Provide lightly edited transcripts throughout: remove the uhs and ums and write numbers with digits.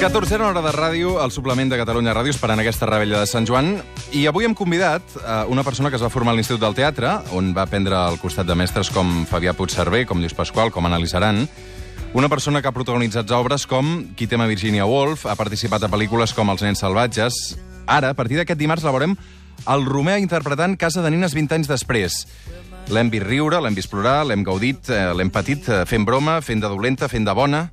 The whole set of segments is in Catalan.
14a hora de ràdio, al suplement de Catalunya Ràdio, esperant aquesta revetlla de Sant Joan. I avui hem convidat una persona que es va formar a l'Institut del Teatre, on va aprendre al costat de mestres com Fabià Puigcerver, com Lluís Pasqual, com Anna Lizaran. Una persona que ha protagonitzat obres com Qui tema Virginia Woolf, ha participat a pel·lícules com Els nens salvatges. Ara, a partir d'aquest dimarts, la veurem al Romea interpretant Casa de nines 20 anys després. L'hem vist riure, l'hem vist plorar, l'hem gaudit, l'hem patit fent broma, fent de dolenta, fent de bona.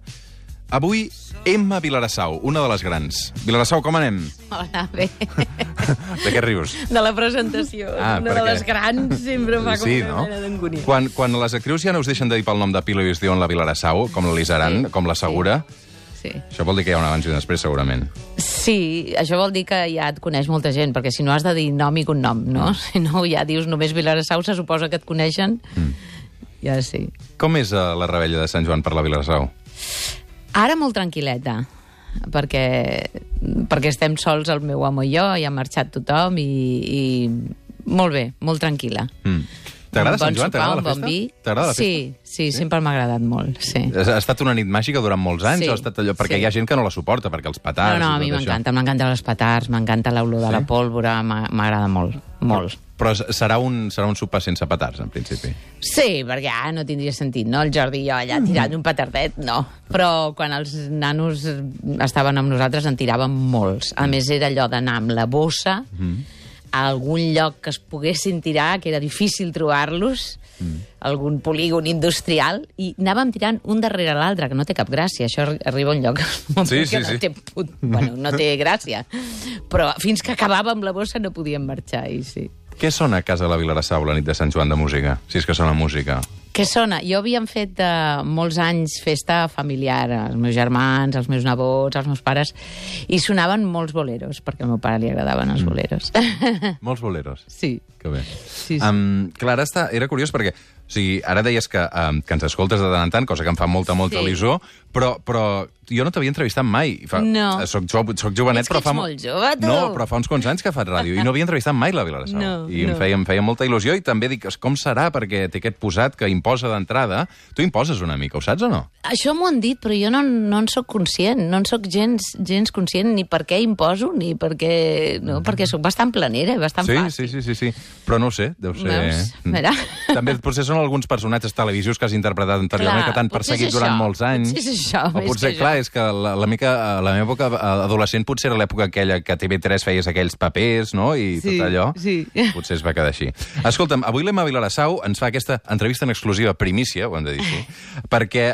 Avui, Emma Vilarassau, una de les grans. Vilarassau, com anem? Hola, bé. De què rius? De la presentació. Una de les grans sempre fa com una mena d'angúnia. Quan les actrius ja no us deixen de dir pel nom de pila i us diuen la Vilarassau, com la Lizaran, com la Segura, sí. Això vol dir que hi ha un abans i un després, segurament. Sí, això vol dir que ja et coneix molta gent, perquè si no has de dir nom i cognom, no? Si no, ja dius només Vilarassau, se suposa que et coneixen. Ja sí. Com és la revetlla de Sant Joan per la Vilarassau? Ara molt tranquil·leta, perquè estem sols el meu home i jo, i ha marxat tothom, i molt bé, molt tranquil·la. T'agrada Sant Joan? T'agrada la festa? Bon vi. T'agrada la festa? Sí, sempre m'ha agradat molt, sí. Ha estat una nit màgica durant molts anys? Sí, o ha estat allò? Perquè hi ha gent que no la suporta, perquè els petards... No, a mi m'encanta els petards, m'encanta l'olor de la pólvora, m'agrada molt, molt. Però serà un sopar sense petards, en principi. Sí, perquè no tindria sentit, no? El Jordi i jo allà tirant un petardet, no. Però quan els nanos estaven amb nosaltres en tiràvem molts. A més, era allò d'anar amb la bossa a algun lloc que es poguessin tirar, que era difícil trobar-los, algun polígon industrial, i anàvem tirant un darrere l'altre, que no té cap gràcia. Això arriba a un lloc que bueno, no té gràcia. Però fins que acabàvem la bossa no podíem marxar, i sí. Què sona a casa de la Vilarassau la nit de Sant Joan de música? Si és que sona música. Què sona? Jo havíem fet molts anys festa familiar, els meus germans, els meus nebots, els meus pares, i sonaven molts boleros, perquè al meu pare li agradaven els boleros. Molts boleros? Sí. Que bé. Sí. Clar, era curiós perquè ara deies que ens escoltes de tant en tant, cosa que em fa molta il·lusió, però jo no t'havia entrevistat mai. No. Soc jovenet, però fa... molt jove, tu. No, però fa uns quants anys que faig ràdio i no havia entrevistat mai la Vilarassau. I em feia molta il·lusió i també dic, com serà? Perquè té aquest posat que imposa d'entrada. Tu imposes una mica, ho saps o no? Això m'ho han dit, però jo no en soc conscient. No en soc gens conscient ni per què imposo, ni perquè... No, perquè soc bastant planera i bastant fàcil. Sí. Però no ho sé, deu ser... Veus? Mira. També potser són alguns personatges televisius que has interpretat anteriorment, que t'han perseguit durant molts anys. Potser és això, o potser, clar, és que la meva època adolescent potser era l'època aquella que a TV3 feies aquells papers, no?, i tot allò. Sí. Potser es va quedar així. Escolta'm, avui l'Emma Vilarassau ens fa aquesta entrevista en exclusiva, primícia, ho hem de dir així, perquè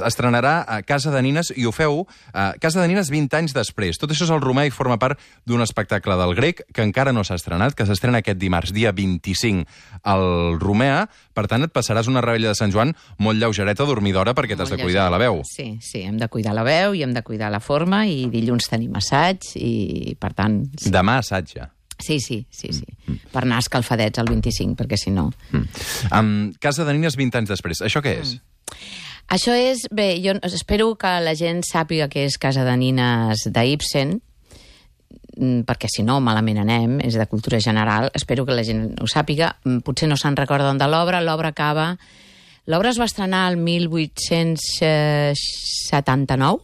estrenarà a Casa de nines, i ho feu Casa de nines 20 anys després. Tot això és el Romea i forma part d'un espectacle del Grec que encara no s'ha estrenat, que s'estrena aquest dimarts, dia 25, al Romea. Per tant, et passaràs una revetlla de Sant Joan molt lleugereta, dormidora, perquè t'has de cuidar de la veu. Sí, hem de cuidar la veu i hem de cuidar la forma, i dilluns tenim assaig, i per tant... Sí. Demà assaig ja. Sí. Per anar escalfadets al 25, perquè si no... Casa de nines 20 anys després. Això què és? Això és... Bé, jo espero que la gent sàpiga que és Casa de nines d'Ibsen, perquè si no malament anem, és de cultura general. Espero que la gent ho sàpiga. Potser no se'n recorden de l'obra. L'obra es va estrenar el 1879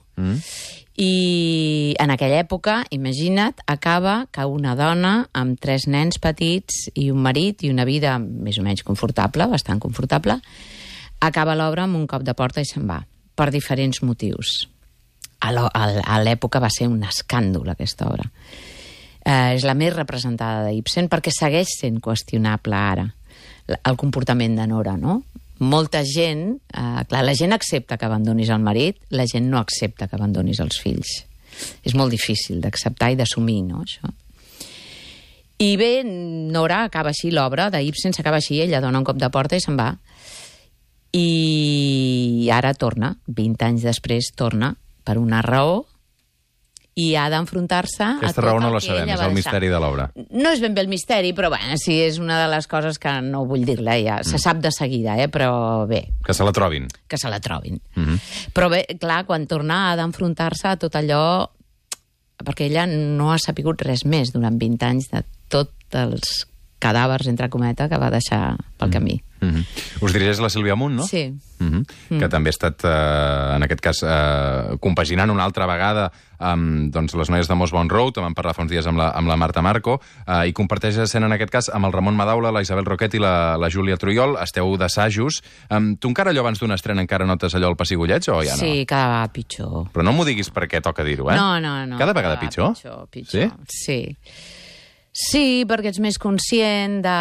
i en aquella època, imagina't, acaba que una dona amb 3 nens petits i un marit i una vida més o menys confortable, bastant confortable, acaba l'obra amb un cop de porta i se'n va, per diferents motius. A l'època va ser un escàndol, aquesta obra. És la més representada d'Ibsen perquè segueix sent qüestionable ara el comportament de Nora, no? Molta gent... clar, la gent accepta que abandonis el marit, la gent no accepta que abandonis els fills. És molt difícil d'acceptar i d'assumir, no, això? I bé, Nora acaba així, l'obra d'Ibsen s'acaba així, ella dona un cop de porta i se'n va. I ara torna, 20 anys després torna, per una raó, i ha d'enfrontar-se a tot el que ella va deixar. Aquesta raó no la sabem, és el misteri de l'obra. No és ben bé el misteri, però bé, sí, és una de les coses que no vull dir-la, ja se sap de seguida, però bé. Que se la trobin. Que se la trobin. Però bé, clar, quan torna ha d'enfrontar-se a tot allò, perquè ella no ha sapigut res més durant 20 anys de tots els cadàvers, entre cometes, que va deixar pel camí. Us dirigeix la Sílvia Amunt, no? Sí. Que també ha estat, en aquest cas, compaginant una altra vegada amb les noies de Mossbound Road, vam parlar fa uns dies amb la Marta Marco, i comparteix escena, en aquest cas, amb el Ramon Madaula, la Isabel Roquet i la Júlia Trujol. Esteu d'assajos. Tu encara allò abans d'una estrena encara notes allò al pessigolleig o ja no? Sí, cada vegada pitjor. Però no m'ho diguis perquè toca dir-ho, eh? No. Cada vegada pitjor? Pitjor. Sí, perquè ets més conscient de...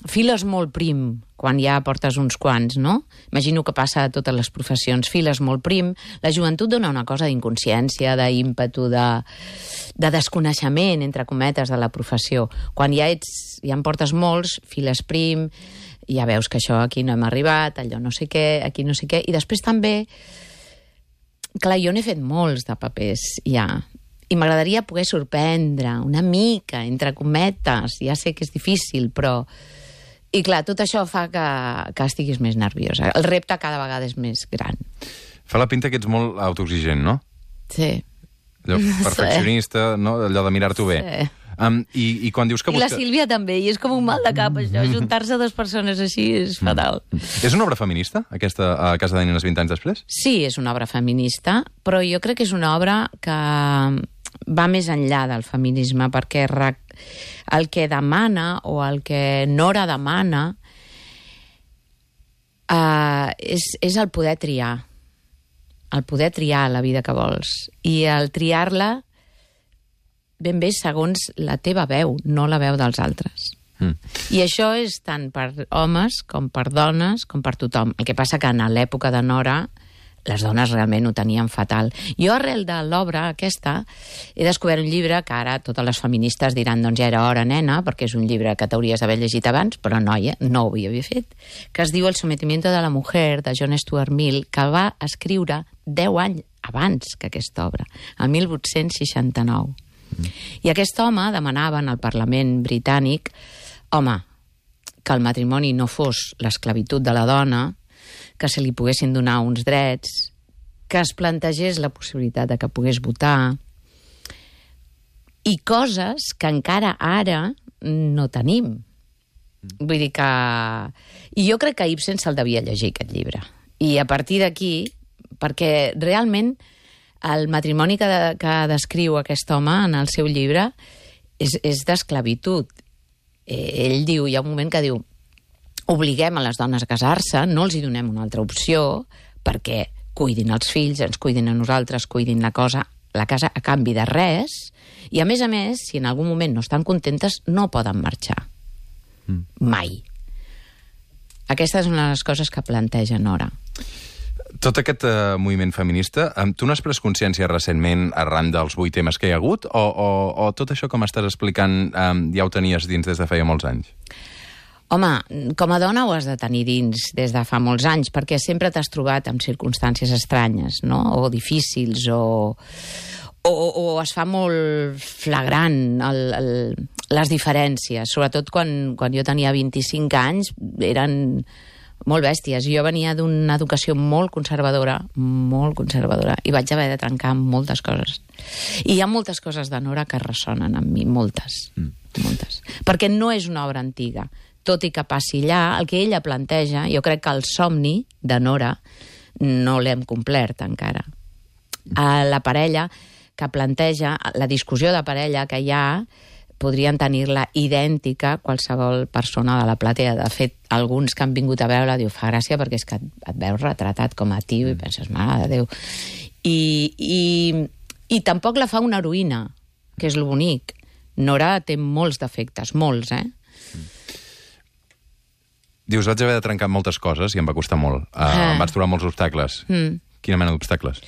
Files molt prim, quan ja portes uns quants, no? Imagino que passa a totes les professions. Files molt prim. La joventut dona una cosa d'inconsciència, d'ímpetu, de desconeixement, entre cometes, de la professió. Quan ja en portes molts, files prim, ja veus que això aquí no hem arribat, allò no sé què, aquí no sé què. I després també... Clar, jo n'he fet molts de papers, ja. I m'agradaria poder sorprendre una mica, entre cometes. Ja sé que és difícil, però... I clar, tot això fa que estiguis més nerviosa. El repte cada vegada és més gran. Fa la pinta que ets molt autoexigent, no? Sí. Allò perfeccionista, no? Allò de mirar-t'ho bé. Sí. I quan dius que I la Sílvia també, i és com un mal de cap, això. Juntar-se dues persones així és fatal. És una obra feminista, aquesta a Casa de Nenes 20 anys després? Sí, és una obra feminista, però jo crec que és una obra que va més enllà del feminisme, perquè el que demana o el que Nora demana és el poder triar. El poder triar la vida que vols. I el triar-la ben bé segons la teva veu, no la veu dels altres. I això és tant per homes com per dones, com per tothom. El que passa que en l'època de Nora les dones realment ho tenien fatal. Jo, arrel de l'obra aquesta, he descobert un llibre que ara totes les feministes diran doncs ja era hora, nena, perquè és un llibre que t'hauries d'haver llegit abans, però noia, no ho havia fet, que es diu El sometimiento de la mujer, de John Stuart Mill, que va escriure 10 anys abans que aquesta obra, el 1869. I aquest home demanava en el Parlament britànic, home, que el matrimoni no fos l'esclavitud de la dona, que se li poguessin donar uns drets, que es plantegés la possibilitat de que pogués votar, i coses que encara ara no tenim. Vull dir que... I jo crec que Ibsen se'l devia llegir, aquest llibre. I a partir d'aquí, perquè realment el matrimoni que descriu aquest home en el seu llibre és d'esclavitud. Ell diu, hi ha un moment que diu, obliguem a les dones a casar-se, no els hi donem una altra opció, perquè cuidin els fills, ens cuidin a nosaltres, cuidin la casa a canvi de res, i a més, si en algun moment no estan contentes, no poden marxar. Mai. Aquesta és una de les coses que planteja Nora. Tot aquest moviment feminista, tu n'has pres consciència recentment arran dels 8 temes que hi ha hagut, o tot això com estàs explicant ja ho tenies dins des de feia molts anys? Home, com a dona ho has de tenir dins des de fa molts anys, perquè sempre t'has trobat en circumstàncies estranyes, no? O difícils, o es fa molt flagrant les diferències. Sobretot quan jo tenia 25 anys, eren molt bèsties. Jo venia d'una educació molt conservadora, i vaig haver de trencar moltes coses. I hi ha moltes coses de Nora que ressonen amb mi, moltes. Perquè no és una obra antiga. Tot i que passi allà, el que ella planteja, jo crec que el somni de Nora no l'hem complert encara. La parella que planteja, la discussió de parella que hi ha, podrien tenir-la idèntica qualsevol persona de la platea. De fet, alguns que han vingut a veure-la diu, fa gràcia perquè és que et veus retratat com a tio i penses, mare de Déu. I tampoc la fa una heroïna, que és lo bonic. Nora té molts defectes, molts, Dius, vaig haver de trencar moltes coses i em va costar molt. Em vaig trobar molts obstacles. Quina mena d'obstacles?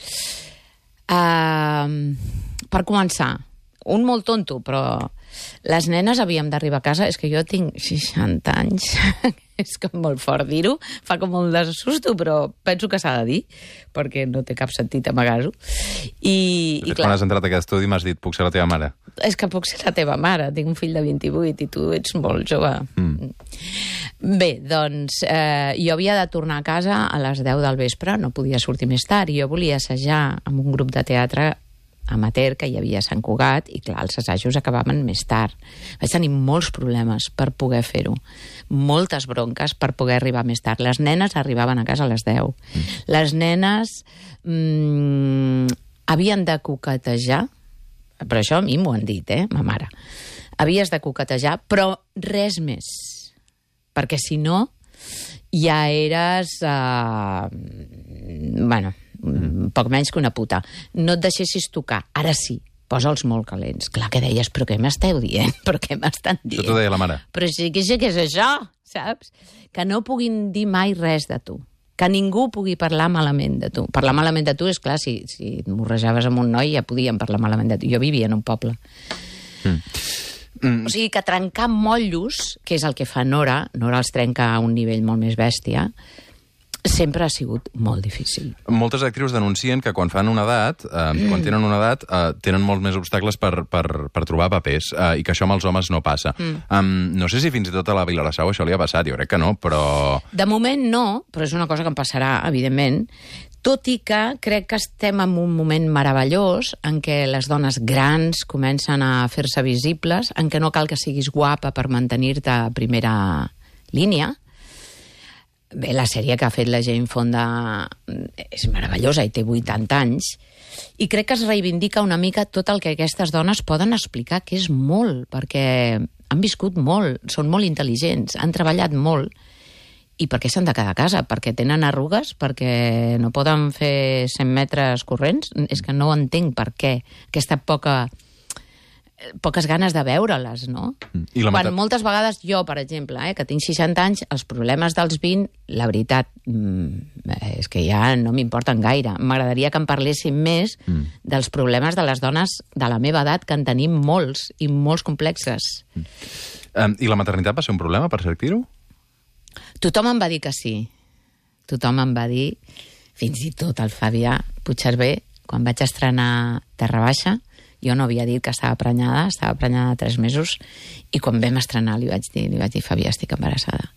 Per començar, un molt tonto, però les nenes havíem d'arribar a casa. És que jo tinc 60 anys, és com molt fort dir-ho, fa com molt de susto, però penso que s'ha de dir, perquè no té cap sentit amagar-ho. De fet, quan has entrat a aquest estudi m'has dit, puc ser la teva mare? És que puc ser la teva mare, tinc un fill de 28 i tu ets molt jove. Bé, doncs, jo havia de tornar a casa a les 10 del vespre, no podia sortir més tard, i jo volia assajar amb un grup de teatre amateur que hi havia a Sant Cugat i, clar, els assajos acabaven més tard. Vaig tenir molts problemes per poder fer-ho. Moltes bronques per poder arribar més tard. Les nenes arribaven a casa a les 10. Les nenes havien de coquetejar, però això a mi m'ho han dit, ma mare. Havies de coquetejar, però res més. Perquè si no, ja eres, poc menys que una puta. No et deixessis tocar. Ara sí, posa'ls molt calents. Clar que deies, però què m'esteu dient? Però què m'estan dient? Això t'ho deia la mare. Però sí que sé què és això, saps? Que no puguin dir mai res de tu. Que ningú pugui parlar malament de tu. Parlar malament de tu, és clar, si et morrejaves amb un noi ja podien parlar malament de tu. Jo vivia en un poble. O sigui que trencar motllos, que és el que fa Nora els trenca a un nivell molt més bèstia, sempre ha sigut molt difícil. Moltes actrius denuncien que quan fan una edat, quan tenen una edat, tenen molts més obstacles per trobar papers, i que això amb els homes no passa. No sé si fins i tot a la Vilassau això li ha passat, jo crec que no, però... De moment no, però és una cosa que em passarà, evidentment, tot i que crec que estem en un moment meravellós en què les dones grans comencen a fer-se visibles, en què no cal que siguis guapa per mantenir-te a primera línia. Bé, la sèrie que ha fet la Jane Fonda és meravellosa i té 80 anys, i crec que es reivindica una mica tot el que aquestes dones poden explicar, que és molt, perquè han viscut molt, són molt intel·ligents, han treballat molt. I per què s'han de quedar a casa? Perquè tenen arrugues? Perquè no poden fer 100 metres corrents? És que no entenc per què. Aquesta poques ganes de veure-les, no? Quan moltes vegades jo, per exemple, que tinc 60 anys, els problemes dels 20, la veritat, és que ja no m'importen gaire. M'agradaria que em parlessin més dels problemes de les dones de la meva edat, que en tenim molts, i molts complexes. I la maternitat va ser un problema per ser actriu? Tothom em va dir que sí. Tothom em va dir, fins i tot el Fabià Puigcerver, quan vaig estrenar Terra Baixa, jo no havia dit que estava prenyada 3 mesos, i quan vam estrenar li vaig dir, Fabià, estic embarassada.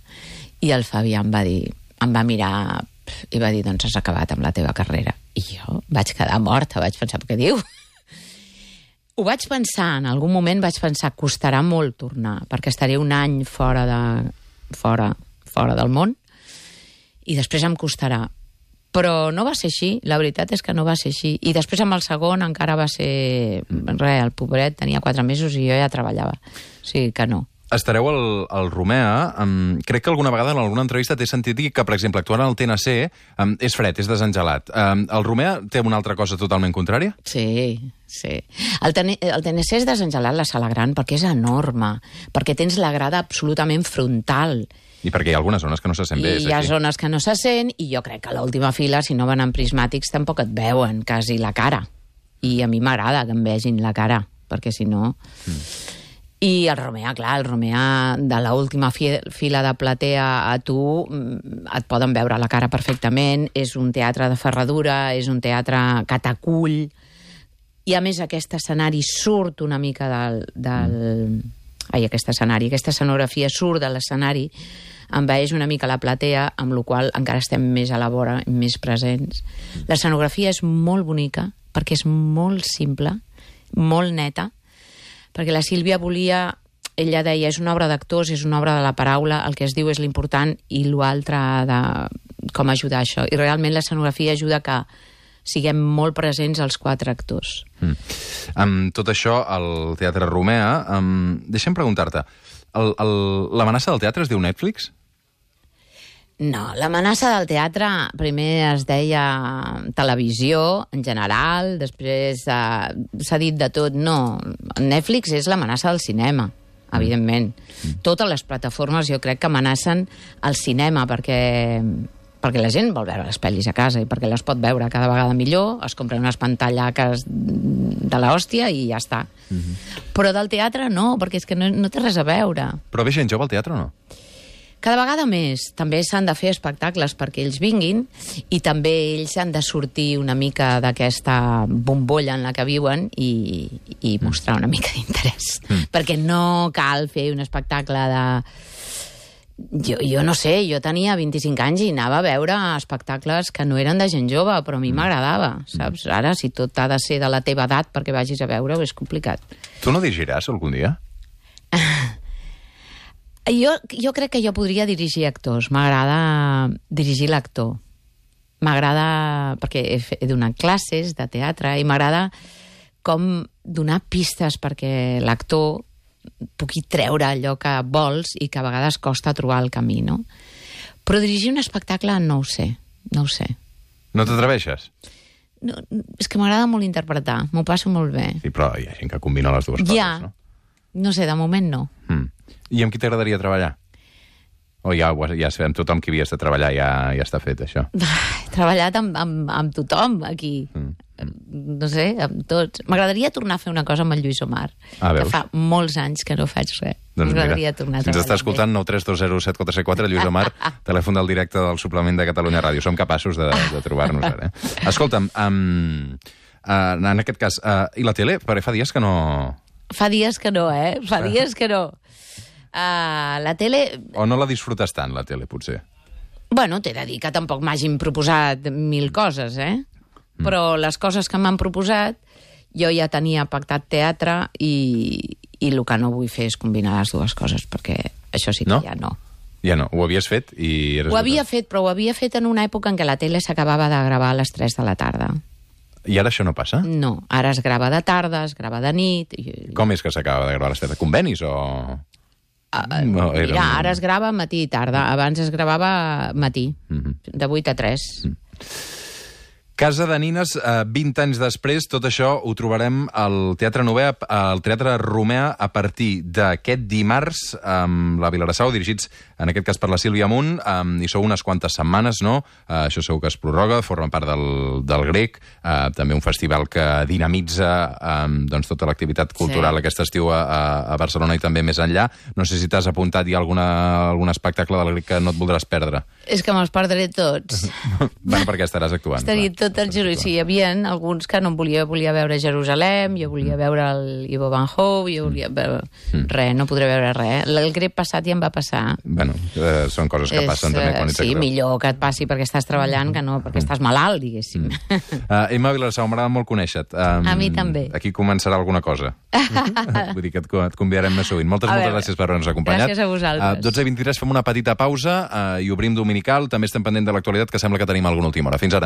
I el Fabià em va mirar i va dir, doncs has acabat amb la teva carrera. I jo vaig quedar morta, vaig pensar, què diu? Ho vaig pensar, en algun moment vaig pensar, costarà molt tornar, perquè estaré un any fora del món, i després em costarà. Però no va ser així, la veritat és que no va ser així. I després amb el segon encara va ser... el pobret tenia 4 mesos i jo ja treballava. O sigui que no. Estareu al Romea. Crec que alguna vegada en alguna entrevista t'he sentit dir que, per exemple, actuant al TNC és fred, és desengelat. El Romea té una altra cosa totalment contrària? Sí. El TNC és desengelat, la sala gran, perquè és enorme, perquè tens la grada absolutament frontal. I perquè hi ha algunes zones que no se sent bé. I hi ha zones que no se sent, i jo crec que a l'última fila, si no van amb prismàtics, tampoc et veuen quasi la cara. I a mi m'agrada que em vegin la cara, perquè si no... I el Romea, clar, el Romea de l'última fila de platea a tu et poden veure la cara perfectament, és un teatre de ferradura, és un teatre que t'acull, i a més aquest escenari surt una mica aquesta escenografia surt de l'escenari, envaeix una mica la platea, amb la qual encara estem més a la vora, més presents. L'escenografia és molt bonica, perquè és molt simple, molt neta, perquè la Sílvia volia, ella deia, és una obra d'actors, és una obra de la paraula, el que es diu és l'important i l'altre de com ajudar això. I realment l'escenografia ajuda que siguem molt presents els 4 actors. Amb tot això, al Teatre Romea, deixa'm preguntar-te, l'amenaça del teatre es diu Netflix? No, l'amenaça del teatre primer es deia televisió, en general, després s'ha dit de tot. No, Netflix és l'amenaça del cinema, evidentment. Totes les plataformes jo crec que amenacen el cinema perquè la gent vol veure les pel·lis a casa i perquè les pot veure cada vegada millor, es compren unes pantallaques de l'hòstia i ja està. Però del teatre no, perquè és que no té res a veure. Però ve gent jove al teatre o no? Cada vegada més. També s'han de fer espectacles perquè ells vinguin i també ells han de sortir una mica d'aquesta bombolla en la que viuen i mostrar una mica d'interès. Perquè no cal fer un espectacle Jo no sé, jo tenia 25 anys i anava a veure espectacles que no eren de gent jove, però a mi m'agradava, saps? Ara, si tot ha de ser de la teva edat perquè vagis a veure-ho, és complicat. Tu no dirigiràs algun dia? Jo crec que jo podria dirigir actors. M'agrada dirigir l'actor. M'agrada, perquè he donat classes de teatre, i m'agrada com donar pistes perquè l'actor pugui treure allò que vols i que a vegades costa trobar el camí, no? Però dirigir un espectacle no ho sé. No t'atreveixes? No, és que m'agrada molt interpretar, m'ho passo molt bé. Sí, però hi ha gent que combina les dues coses, no? No sé, de moment no. I amb qui t'agradaria treballar? O ja sabem, tothom qui havies de treballar ja està fet, això? He treballat amb tothom, aquí. No sé, amb tots. M'agradaria tornar a fer una cosa amb el Lluís Omar, que fa molts anys que no faig res. Doncs m'agradaria tornar a treballar. Ens està escoltant 9320744, Lluís Omar, telèfon del directe del suplement de Catalunya Ràdio. Som capaços de trobar-nos ara. Escolta'm, en aquest cas, i la tele? Perquè fa dies que no... Fa dies que no, Fa dies que no. La tele... O no la disfrutes tant, la tele, potser? Bueno, t'he de dir que tampoc m'hagin proposat 1000 coses, Però les coses que m'han proposat, jo ja tenia pactat teatre i el que no vull fer és combinar les dues coses, perquè això sí que ja no. Ja no, ho havies fet i... Ho havia fet, però ho havia fet en una època en què la tele s'acabava de gravar a les 3 de la tarda. I ara això no passa? No, ara es grava de tarda, es grava de nit... Com és que s'acaba de gravar a les 3? Convenis o...? Mira, ara es grava matí i tarda. Abans es gravava matí, de 8 a 3. Casa de Nines, 20 anys després, tot això ho trobarem al Teatre Nové, al Teatre Romea, a partir d'aquest dimarts, amb la Vilassau, dirigits, en aquest cas, per la Sílvia Munt, i sou unes quantes setmanes, no? Això segur que es prorroga, forma part del Grec, també un festival que dinamitza doncs, tota l'activitat cultural aquest estiu a Barcelona i també més enllà. No sé si t'has apuntat ja algun espectacle del Grec que no et voldràs perdre. És que me'ls perdré tots. Bueno, perquè estaràs actuant. Estaria tot el Jerusalem. Sí, hi havia alguns que no em volia veure Jerusalem, jo volia veure el Ivo Van Hove, jo volia veure... Res, no podré veure res. El Grec passat ja em va passar. Bueno, són coses que passen també quan ets actor. Sí, millor que et passi perquè estàs treballant que no perquè estàs malalt, diguéssim. Emma Vilassau, m'agrada molt conèixer-te. A mi també. Aquí començarà alguna cosa. Vull dir que et convidarem més sovint. Moltes gràcies per haver-nos acompanyat. Gràcies a vosaltres. 12:23 fem una petita pausa i obrim Dominical. També estem pendent de l'actualitat, que sembla que tenim alguna última hora. Fins ara.